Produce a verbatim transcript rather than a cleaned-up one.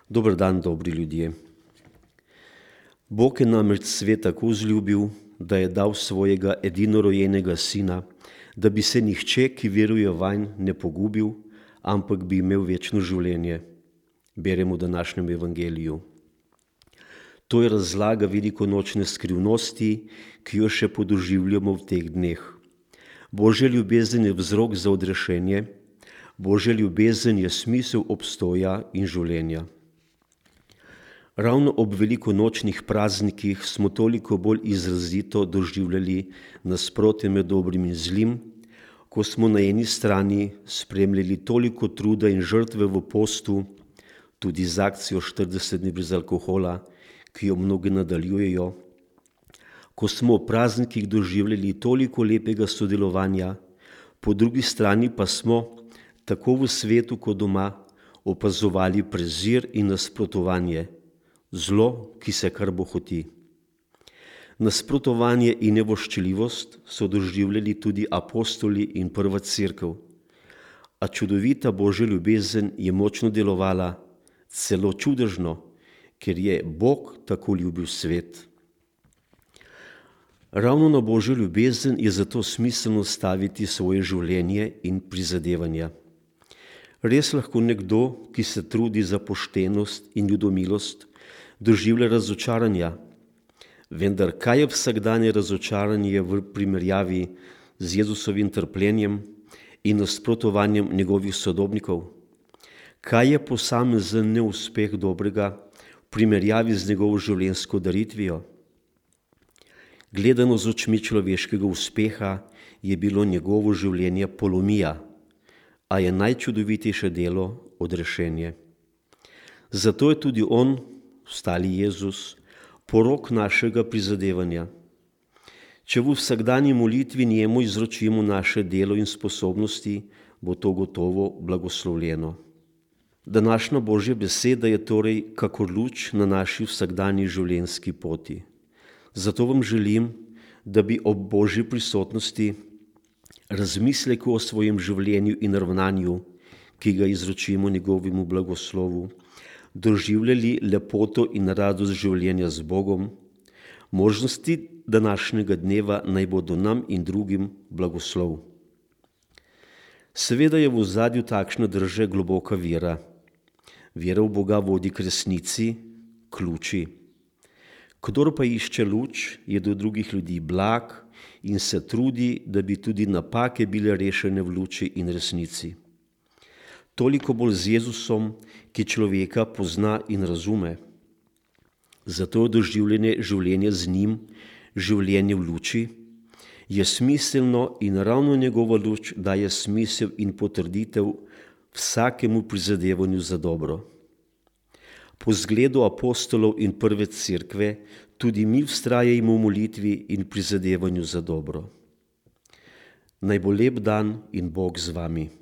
Dober dan, dobri ljudje. Bog je namreč svet tako vzljubil, da je dal svojega edinorojenega sina, da bi se nihče, ki veruje vanj, ne pogubil, ampak bi imel večno življenje. Beremo v današnjem evangeliju. To je razlaga velikonočne skrivnosti, ki jo še podoživljamo v teh dneh. Božja ljubezen je vzrok za odrešenje, Božja ljubezen je smisel obstoja in življenja. Ravno ob velikonočnih praznikih smo toliko bolj izrazito doživljali nasprotje med dobrim in zlim, ko smo na eni strani spremljali toliko truda in žrtve v postu, tudi z akcijo štirideset dni brez alkohola, ki jo mnogi nadaljujejo, ko smo v praznikih doživljali toliko lepega sodelovanja, po drugi strani pa smo, tako v svetu kot doma, opazovali prezir in nasprotovanje, zlo, ki se kar bohoti. Nasprotovanje in nevoščljivost so doživljali tudi apostoli in prva cerkev, a čudovita Božja ljubezen je močno delovala, celo čudežno, ker je Bog tako ljubil svet. Ravno na Božjo ljubezen je zato smiselno staviti svoje življenje in prizadevanja. Res lahko nekdo, ki se trudi za poštenost in ljudomilost, doživlja razočaranja, vendar kaj je vsakdanje razočaranje v primerjavi z Jezusovim trpljenjem in nasprotovanjem njegovih sodobnikov? Kaj je posamezen neuspeh dobrega v primerjavi z njegovo življenjsko daritvijo? Gledano z očmi človeškega uspeha je bilo njegovo življenje polomija, a je najčudovitejše delo odrešenje. Zato je tudi on, stali Jezus, porok našega prizadevanja. Če v vsakdanji molitvi njemu izročimo naše delo in sposobnosti, bo to gotovo blagoslovljeno. Današnja Božja beseda je torej kakor luč na naši vsakdanji življenjski poti. Zato vam želim, da bi ob Božji prisotnosti razmisleku o svojem življenju in ravnanju, ki ga izročimo njegovemu blagoslovu, doživljali lepoto in radost življenja z Bogom, možnosti današnjega dneva naj bodo nam in drugim blagoslov. Seveda je v ozadju takšne drže globoka vera. Vera v Boga vodi k resnici, k luči. Kdor pa išče luč, je do drugih ljudi blag in se trudi, da bi tudi napake bile rešene v luči in resnici. Toliko bolj z Jezusom, ki človeka pozna in razume. Zato je doživljanje življenja z njim, življenje v luči, je smiselno in ravno njegova luč daje smisel in potrditev vsakemu prizadevanju za dobro. Po zgledu apostolov in prve cerkve tudi mi vztrajajmo v molitvi in prizadevanju za dobro. Naj bo lep dan in Bog z vami.